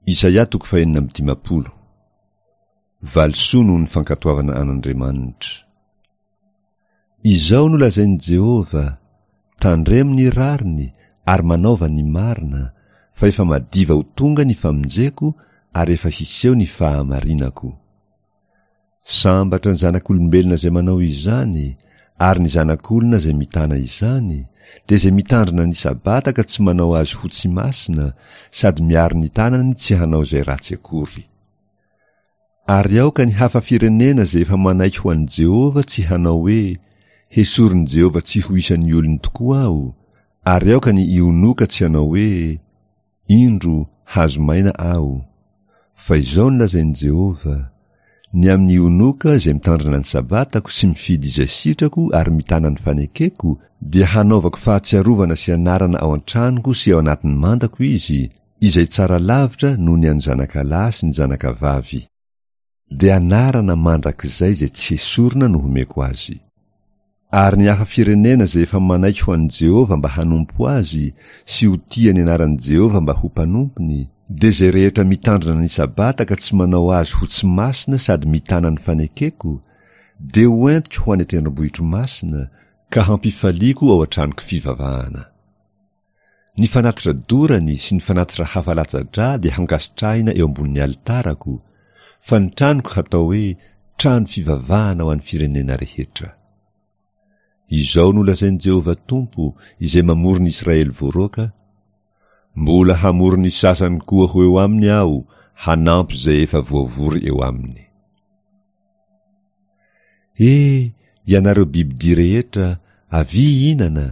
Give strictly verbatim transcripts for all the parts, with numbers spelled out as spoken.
Isaia toko fahenina amby dimampolo. Valisoa noho ny fankatoavana an'Andriamanitra. Izao no lazain'i Jehovah, Tandremo ny rariny ary manaova ny marina, fa efa madiva ho tonga ny famonjeko ary efa hiseho ny fahamarinako. Sambatra ny zanak'olombelona izay manao izany, ary ny zanak'olona izay mitana izany, dia izay mitandrina ny Sabata ka tsy manao azy ho tsy masina, sady miaro ny tanany tsy hanao izay ratsy akory. Ary aoka ny hafa firenena izay efa manaiky ho an'i Jehovah tsy hanao hoe, Hesorin'i Jehovah tsy ho isan'ny olony tokoa aho, ary aoka ny ionoka tsy hanao hoe, Indro, hazo maina aho. Fa izao no lazain'i Jehovah, Ny amin'ny ionoka izay mitandrina ny Sabatako sy mifidy izay sitrako ary mitana ny fanekeko, dia hanaovako fahatsiarovana sy anarana ao an-tranoko sy ao anatin'ny mandako izy, izay tsara lavitra noho ny an'ny zanakalahy sy ny zanakavavy. Dia anarana mandrakizay izay tsy hesorina no homeko azy. Ary ny hafa firenena izay efa manaiky ho an'i Jehovah mba hanompo azy sy ho tia ny anaran'i Jehovah mba ho mpanompony, dia izay rehetra mitandrina ny Sabata ka tsy manao azy ho tsy masina sady mitana ny fanekeko, dia ho entiko ho any an-tendrombohitro masina, ka hampifaliako ao an-tranoko fivavahana. Ny fanatitra dorany sy ny fanatitra hafa latsa-drà dia hankasitrahina eo ambonin'ny alitarako, fa ny tranoko hatao hoe trano fivavahana ho an'ny firenena rehetra. Izao no lazain'i Jehovah Tompo, izay mamory ny Israely voaroaka, Mbola hamory ny sasany koa ho eo aminy Aho, hanampy izay efa voavory eo aminy. E, ianareo bibidia rehetra, avia hihinana,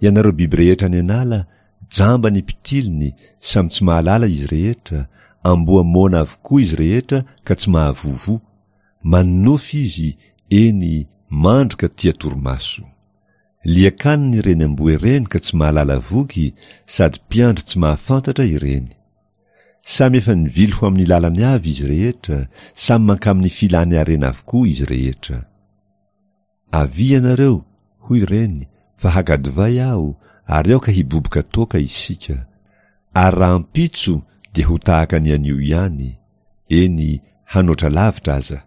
ianareo biby rehetra any an'ala, jamba ny mpitiliny, samy tsy mahalala izy rehetra, amboa moana avokoa izy rehetra ka tsy mahavovo, manonofy izy, eny, mandry ka tia torimaso. Liakaniny ireny amboa ireny ka tsy mahalala voky, sady mpiandry tsy mahafantatra ireny. Samy efa nivily ho amin'ny lalany avy izy rehetra, samy mankamin'ny filany harena avokoa izy rehetra. Avia ianareo, hoy ireny, fa haka divay aho, ary aoka hiboboka toaka isika. Ary rahampitso dia ho tahaka ny anio ihany, eny, hanoatra lavitra aza.